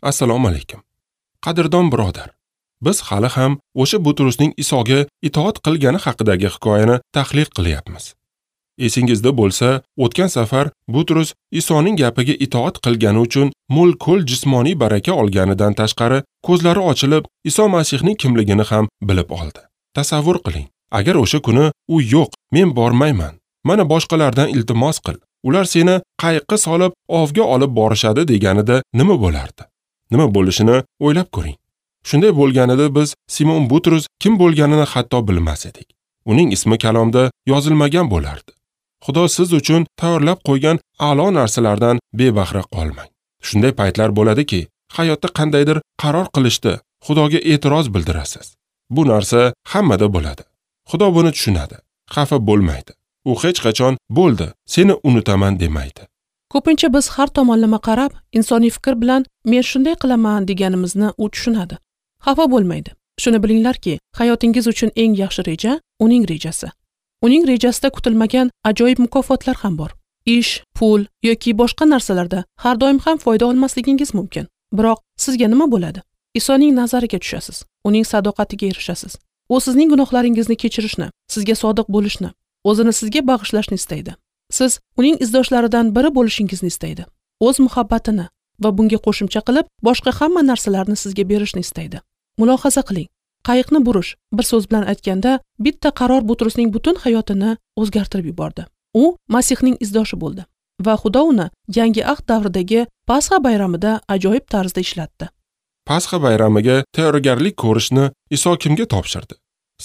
Assalomu alaykum. Qadrdon birodar, biz hali ham o'sha Butrusning Isoga itoat qilgani haqidagi hikoyani tahlil qilyapmiz. Esingizda bo'lsa, o'tgan safar Butrus Isoning gapiga itoat qilgani uchun mo'l-ko'l jismoniy baraka olganidan tashqari, ko'zlari ochilib, Iso Masihning kimligini ham bilib oldi. Tasavvur qiling, agar o'sha kuni u yo'q, men bormayman, mana boshqalardan iltimos qil, ular seni qayiqqa solib ovga olib borishadi deganida nima bo'lardi? Nima bo'lishini o'ylab ko'ring. Shunday bo'lganida biz Simon Butrus kim bo'lganini hatto bilmas edik. Uning ismi kalomda yozilmagan bo'lardi. Xudo siz uchun tayyorlab qo'ygan a'lo narsalardan bebahra qolmang. Shunday paytlar bo'ladiki, hayotda qandaydir qaror qilishda Xudoga e'tiroz bildirasiz. Bu narsa hammada bo'ladi. Xudo buni tushunadi, xafa bo'lmaydi. U hech qachon bo'ldi, seni unutaman demaydi. Ko'pincha biz har tomonlama qarab, insoniy fikr bilan men shunday qilaman deganimizni u tushunadi. Xafa bo'lmaydi. Shuni bilinglarki, hayotingiz uchun eng yaxshi reja uning rejasi. Uning rejasida kutilmagan ajoyib mukofotlar ham bor. Ish, pul yoki boshqa narsalarda har doim ham foyda olmasligingiz mumkin. Biroq sizga nima bo'ladi? Isoning nazariga tushasiz, uning sadoqatiga erishasiz. U sizning gunohlaringizni kechirishni, sizga sodiq bo'lishni, o'zini sizga bag'ishlashni istaydi. Siz uning izdoshlaridan biri bo'lishingizni istaydi. O'z muhabbatini va bunga qo'shimcha qilib boshqa hamma narsalarni sizga berishni istaydi. Mulohaza qiling. Qayiqni burish, bir so'z bilan aytganda, bitta qaror Butrusning butun hayotini o'zgartirib yubordi. U Masihning izdoshi bo'ldi va Xudo uni Yangi ahd davridagi Pasxa bayramida ajoyib tarzda ishlatdi. Pasxa bayramiga tayyorgarlik ko'rishni Iso kimga topshirdi?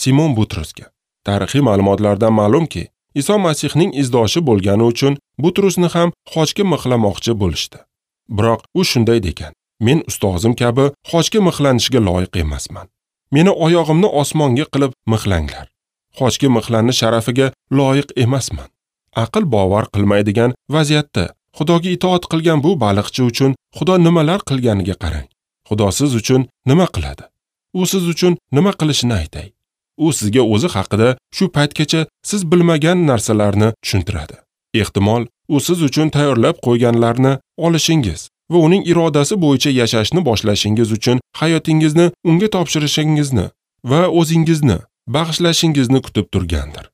Simon Butrusga. Tarixiy ma'lumotlardan ma'lumki, Iso Masihning izdoshi bo'lgani uchun Butrusni ham xochga mixlamoqchi bo'lishdi. Biroq u shunday degan: "Men ustozim kabi xochga mixlanishga loyiq emasman. Meni oyog'imni osmonga qilib mixlanglar. Xochga mixlanish sharafiga loyiq emasman." Aql bovar qilmaydigan vaziyatda Xudoga itoat qilgan bu baliqchi uchun Xudo nimalar qilganiga qarang. Xudo siz uchun nima qiladi? U siz uchun nima qilishini aytay. U sizga o'zi haqida shu paytgacha siz bilmagan narsalarni tushuntiradi. Ehtimol, u siz uchun tayyorlab qo'yganlarni olishingiz va uning irodasi bo'yicha yashashni boshlashingiz uchun hayotingizni unga topshirishingizni va o'zingizni bag'ishlashingizni kutib turgandir.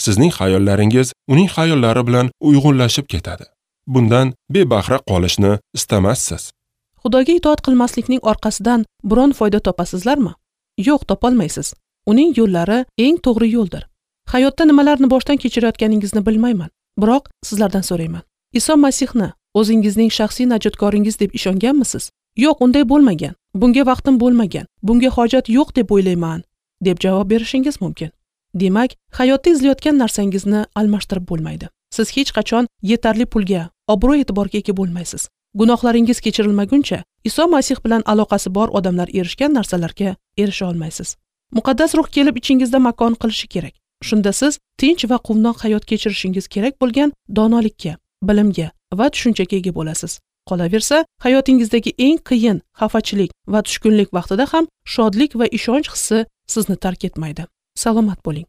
Sizning xayollaringiz uning xayollari bilan uyg'unlashib ketadi. Bundan bebahra qolishni istamassiz. Xudoga itoat qilmaslikning orqasidan biron foyda topasizlarmi? Yo'q, topolmaysiz. Uning yo'llari eng to'g'ri yo'ldir. Hayotda nimalarni boshdan kechirayotganingizni bilmayman, biroq sizlardan so'rayman. Iso Masihni o'zingizning shaxsiy najotkoringiz deb ishonganmisiz? Yo'q, unday bo'lmagan. Bunga vaqtim bo'lmagan. Bunga hojat yo'q deb o'ylayman, deb javob berishingiz mumkin. Demak, hayotda izlayotgan narsangizni almashtirib bo'lmaydi. Siz hech qachon yetarli pulga, obro'-e'tiborga ega bo'lmaysiz. Gunohlaringiz kechirilmaguncha Iso Masih bilan aloqasi bor odamlar erishgan narsalarga erisha olmaysiz. Muqaddas ruh kelib ichingizda makon qilishi kerak. Shunda siz tinch va quvnoq hayot kechirishingiz kerak bo'lgan donolikka, bilimga va tushunchaga ega bo'lasiz. Qolaversa, hayotingizdagi eng qiyin xafachilik va tushkunlik vaqtida ham shodlik va ishonch hissi sizni tark etmaydi. Salomat bo'ling.